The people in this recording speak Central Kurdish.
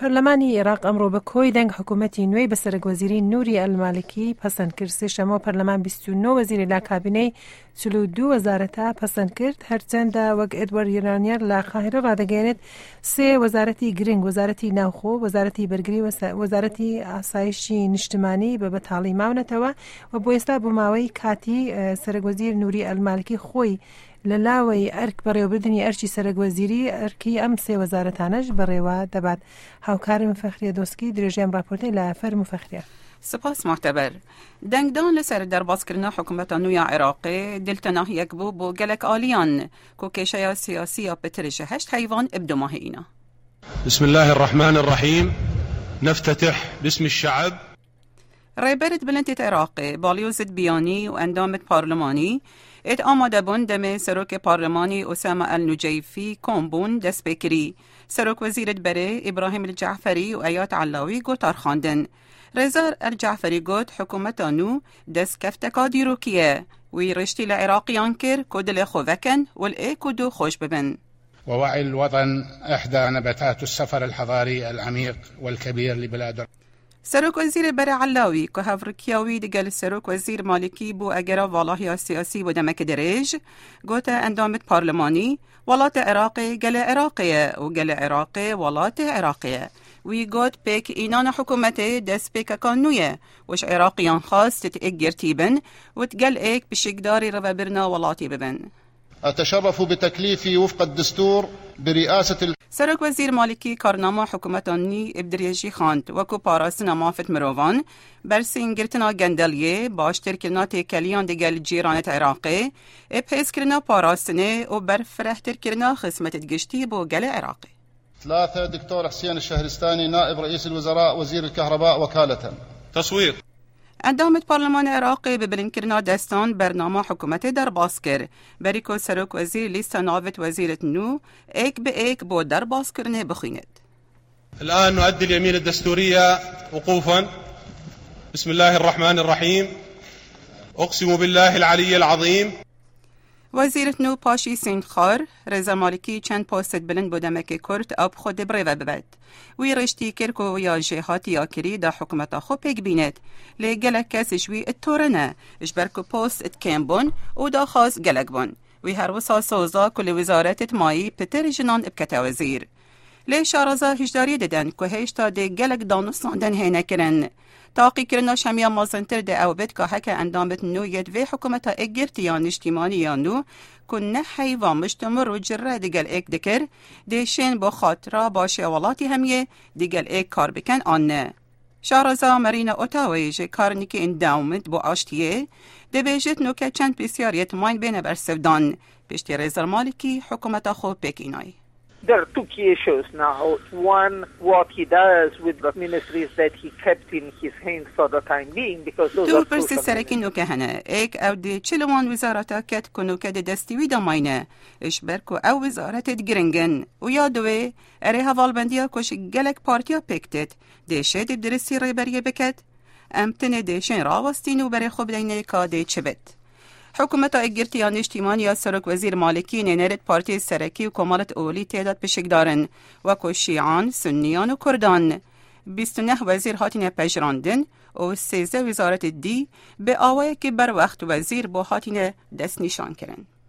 پەرلەمانی ئێراق ئەمڕۆ بە کۆی دەنگ حکوومەتی نوێی بە سەرەکوەزیری نووری ئەلمالکی پەسەند کرد. سێشەممە پەرلەمان 29 وەزیری لە کابینەی 42 وەزارەتە پەسەند کرد. هەرچەندە وەک ئێدوارد یرانیەر لە قاهیرە ڕادەگەیەنێت سێ وەزارەتی گرنگ وەزارەتی ناوخۆ، وەزارەتی بەرگری و وەزارەتی ئاسایشی نیشتمانی بە بەتاڵی ماونەتەوە و بۆ ئێستا بۆ ماوەی کاتی سەرەکوەزیر نووری ئەلمالکی خۆی لە لاوەی ئەرک بەڕێوەبردنی ئەرکی سەرەک وەزیری ئەرکی ئەم سێ وەزارەتانەش بەڕێوە دەبات. هاوکارم فەخریە دۆسکی درێژەی ئەم ڕاپۆرتەی لایە. فەرموو فەخریە. سپاس موعتەبەر. دەنگدان لەسەر دەربازکردنا حکومەتا نوو یا عێراقێ دلتەناهیەک بوو بۆ گەلەک ئالیان کو کێشەیا سیاسی یا پتر ژ هەشت هەیڤان ئبدوماهێ بسم الله الرحمن الرحیم نفتتح باسم الشعب. ڕێبەرت بلندێت عێراقێ، باڵیۆزت بیانی و ئەندامت پارلمانی ئێت ئامادە بوون دەمێ سەرۆکێ پارلمانی ئوسامە ئەلنوجەیفی کۆم بوون دەست پێ کری. سەرۆک وەزیرت بەرێ ئیبراهیم الجەعفەری و ئەیاد عەلاوی گۆتار خواندن. ڕێزار ئەلجەعفەری گۆت حکوومەتا نوو دەستکەفتەکا دیرۆکیە. وی ڕێشتی لە عێراقیان کرد کو دلێ خۆ ڤەکەن و ل ئێک و دوو خۆش ببن. ووعي الوطن إحدى نبتات السفر الحضاري العميق والكبير لبلاد. سەرۆک وەزیرê berê Elawî ku hevrikiya wî digel Serok Wezîr Malikî bû egera valahiya siyasî bo demeke dirêj, gote endamê parlimanî, Welatê Iraqê gelê Iraqê ye û gelê Iraqê welatê Iraqê ye. Wî got pêk înana hikûmetê destpêkeka nû ye û ji Iraqiyan xwest ti êk girtî bin û digel êk pişikdarî rêvebirina welatî bibin. أتشرف بتكليفي وفق الدستور برئاسة. Serokwezîr Malikî karnama hikûmeta nî bi dirêjî xwend wekû parastina mafên mirovan, bersîngirtina gendeliyê, baştirkirina têkeliyan digel cîranên Iraqê, bihêzkirina parastinê û berfirehtirkirina xizmetên giştî bo gelê Iraqê. ثلاثة دكتور حسين الشهرستاني نائب رئيس الوزراء وزير الكهرباء وكالة. تصويت. Endamê Parlemana Iraqê bi bilindkirina destan bernama hikûmetê derbas kir. Berî ku serokwezîr lîsta navê wezîrên nû êk bi êk bo derbaskirinê bixwînit. الآن نؤدي اليمين الدستورية وقوفا. بسم الله الرحمن الرحيم. أقسم بالله العلي العظيم. Wezîrê nû paşî sêndxwar, Rêza Malikî çend postên bilind bo demeke kurt ew bi xwe dê birêve bibet. Wî rêştî kir ku ya jêhatî ya kirî da hikûmeta xwe pêk bînet. Lê gelek kes ji wî tore ne, ji ber ku post kêm bûn û daxwaz gelek bûn. Wî her wisa soz da ku li wezaretê mayî pitir jinan bikete wezîr. Lê şaraza hişdariyê didin ku hêjta dê gelek danûstandin hêne kirin. Taqîkirina şemiya mezintir dê ew bit ka heke endamên nû yê vê hikûmeta êkgirtî ya niştîmanî ya nû ku neh heyva miştimir û cire digel êk dikir, dê şên bo xatira başê welatî hemiyê digel êk kar bikin an ne. Şaraza Marina Otawê ji Carnegie Endowment bo aştiyê dibêjit nûke çend pîsyariyet mayn bêne bersivdan piştî Rêzar Malikî hikûmeta xwe pêk înay. There are two key issues now. One, what he does with the ministries that he kept in his hands for the time being, because those Du pirsê serekî nûke hene. Êk ew dê çi li wan wizareta ket ku nûke di destî wî de mayne, ji ber ku ew wizaretê giring in. Û ya duwê, erê hevalbendiya ku ji gelek partiya pêk têt, dê şê dê bi diristî rêberiyê biket? Em tenê dê şên rawestîn û berê xwe bideyne ka dê çi bit. Hikûmeta Yekgirtî ya Niştîmanî ya Serokwezîr Malikî nênerê partiyê serekî û komalet olî tê de pişikdar in, wekû Şîan, Sunniyan û Kurdan. 29 wezîr hatine pejirandin û 13 wezaretê dî bi awayekî berwext wezîr bo hatine destnîşankirin.